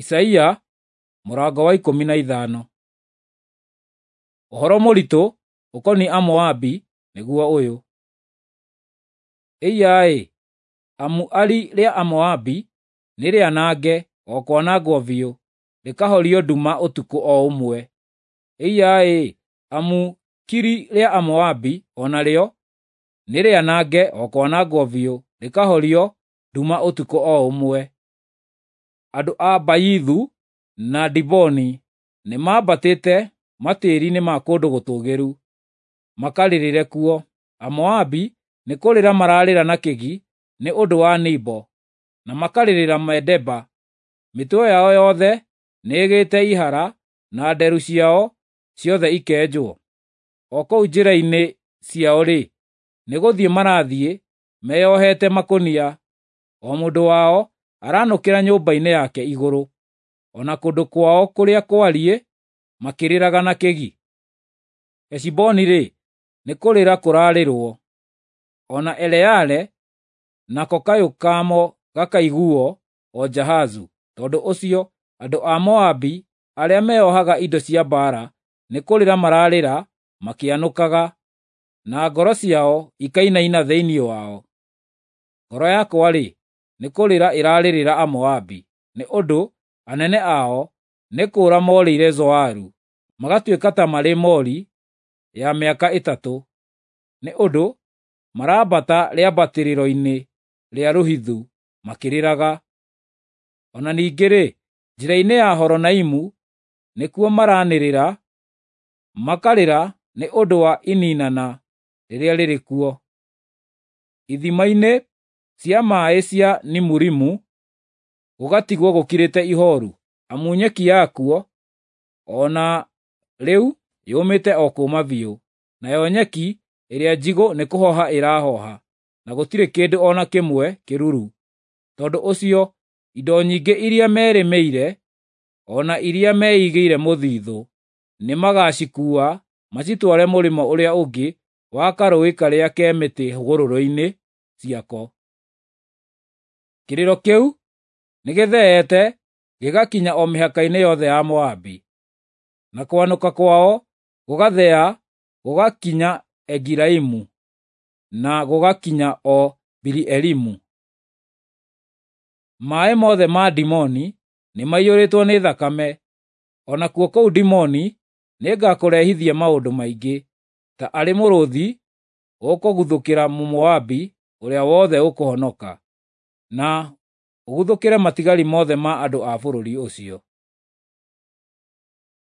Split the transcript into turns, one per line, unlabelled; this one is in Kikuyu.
Isaia mũrango wa 15. Ũhoro mũritũ ũkoniĩ Amoabi nĩguo ũyũ: Ĩiya-ĩ, amu Ari rĩa Amoabi nĩ rĩanange o kwanangwo biũ, rĩkahorio nduma ũtukũ o ũmwe! Ĩiya-ĩ, amu Kiri rĩa Amoabi o narĩo nĩ rĩanange o kwanangwo biũ, rĩkahorio nduma ũtukũ o ũmwe! Andũ a Bayithu na Diboni nĩmambatĩte matĩĩri-inĩ ma kũndũ gũtũũgĩru, makarĩrĩre kuo. Amoabi nĩ kũrĩra mararĩra na kĩgi nĩ ũndũ wa Nebo, na makarĩrĩra Medeba. Mĩtwe yao yothe nĩĩgĩĩte ihara, na nderu ciao ciothe ikenjwo. O kũu njĩra-inĩ ciao-rĩ, nĩgũthiĩ marathiĩ meyohete makũnia, o mũndũ wao aranũkĩra nyũmba-inĩ yake igũrũ, o na kũndũ kwao kũrĩa kwariĩ makĩrĩraga na kĩgi. Heshiboni-rĩ, nĩ kũrĩra kũrarĩrwo, o na Eleale nako kayũ kamo gakaiguo o Jahazu. Tondũ ũcio andũ a Moabi arĩa meeohaga indo cia mbaara nĩ kũrĩra mararĩra makĩanũkaga, na ngoro ciao ikainaina thĩinĩ wao. Ngoro yakwa-rĩ, nĩ kũrĩra ĩrarĩrĩra Amoabi, nĩ ũndũ anene ao nĩ kũũra morĩire Zoaru, magatuĩka ta marĩ moori ya mĩaka 3, nĩ ũndũ marambata rĩambatĩrĩro-inĩ rĩa Luhithu makĩrĩraga. O na ningĩ-rĩ, njĩra-inĩ ya Horonaimu nĩkuo maranĩrĩra, makarĩra nĩ ũndũ wa ininana rĩrĩa rĩrĩ kuo. Ithima-inĩ cia maaĩ cia Nimurimu gũgatigwo gũkirĩte ihooru, amu nyeki yakuo o na rĩu yũmĩte o kũũma biũ, nayo nyeki ĩrĩa njigũ nĩkũhoha ĩrahoha, na gũtirĩ kĩndũ o na kĩmwe kĩruru. Tondũ ũcio indo nyingĩ iria merĩmĩire, o na iria meigĩire mũthithũ, nĩmagacikuua macitware mũrĩmo ũrĩa ũngĩ wa karũũĩ karĩa ke mĩtĩ hũgũrũrũ-inĩ ciako. Kĩrĩro kĩu nĩgĩtheete gĩgakinya o mĩhaka-inĩ yothe ya Moabi, na kwanũka kwao gũgathea gũgakinya Egilaimu, na gũgakinya o Biri-Elimu. Maaĩ mothe ma Dimoni nĩmaiyũrĩtwo nĩ thakame, o nakuo kũu Dimoni nĩngakũrehithia maũndũ maingĩ, ta arĩ mũrũũthi ũkũguthũkĩra Mũmoabi ũrĩa wothe ũkũhonoka, na ũguthũkĩre matigari mothe ma andũ a bũrũri ũcio.